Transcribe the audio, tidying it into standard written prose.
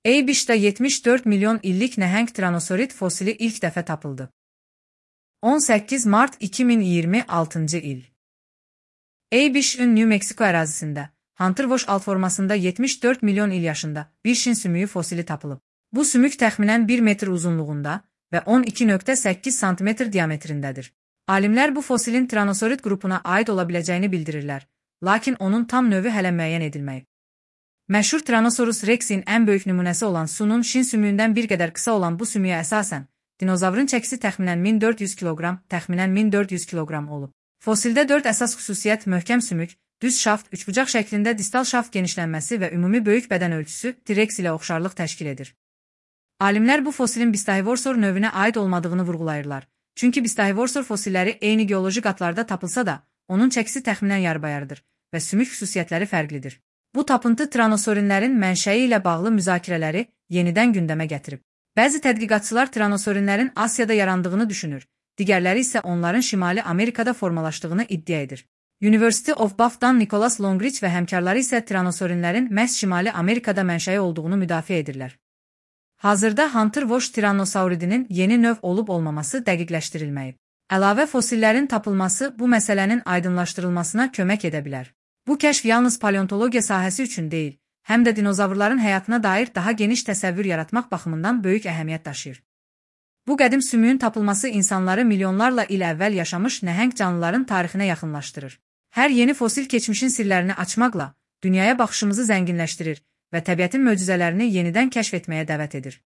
Eybişdə 74 milyon illik nəhəng tiranosaurid fosili ilk dəfə tapıldı. 18 mart 2026 il. Eybişin New Mexico ərazisində, Hunter Wash alt formasında 74 milyon il yaşında bir şin sümüyü fosili tapılıb. Bu sümük təxminən 1 metr uzunluğunda və 12,8 sm diametrindədir. Alimlər bu fosilin tiranosaurid qrupuna aid ola biləcəyini bildirirlər, lakin onun tam növü hələ müəyyən edilməyib. Məşhur Tyrannosaurus Rex'in ən böyük nümunəsi olan Sunun şin sümüyündən bir qədər qısa olan bu sümüyə əsasən, dinozavrın çəkisi təxminən 1400 kiloqram olub. Fosildə 4 əsas xüsusiyyət möhkəm sümük, düz şaft, üçbucaq şəklində distal şaft genişlənməsi və ümumi böyük bədən ölçüsü T-Rex ilə oxşarlıq təşkil edir. Alimlər bu fosilin Bistahevosaur növünə aid olmadığını vurğulayırlar. Çünki Bistahevosaur fosilləri eyni geoloji qatlarda tapılsa da, onun çəkisi təxminən yarbayarıdır və sümük xüsusiyyətləri fərqlidir. Bu tapıntı tiranosaurinlərin mənşəyi ilə bağlı müzakirələri yenidən gündəmə gətirib. Bəzi tədqiqatçılar tiranosaurinlərin Asiyada yarandığını düşünür, digərləri isə onların Şimali Amerikada formalaşdığını iddia edir. University of Buff'dan Nicholas Longridge və həmkarları isə tiranosaurinlərin məhz Şimali Amerikada mənşəyi olduğunu müdafiə edirlər. Hazırda Hunter Wash tiranosauridinin yeni növ olub-olmaması dəqiqləşdirilməyib. Əlavə fosillərin tapılması bu məsələnin aydınlaşdırılmasına kömək edə bilər. Bu kəşf yalnız paleontologiya sahəsi üçün deyil, həm də dinozavrların həyatına dair daha geniş təsəvvür yaratmaq baxımından böyük əhəmiyyət daşıyır. Bu qədim sümüyün tapılması insanları milyonlarla il əvvəl yaşamış nəhəng canlıların tarixinə yaxınlaşdırır. Hər yeni fosil keçmişin sirlərini açmaqla dünyaya baxışımızı zənginləşdirir və təbiətin möcüzələrini yenidən kəşf etməyə dəvət edir.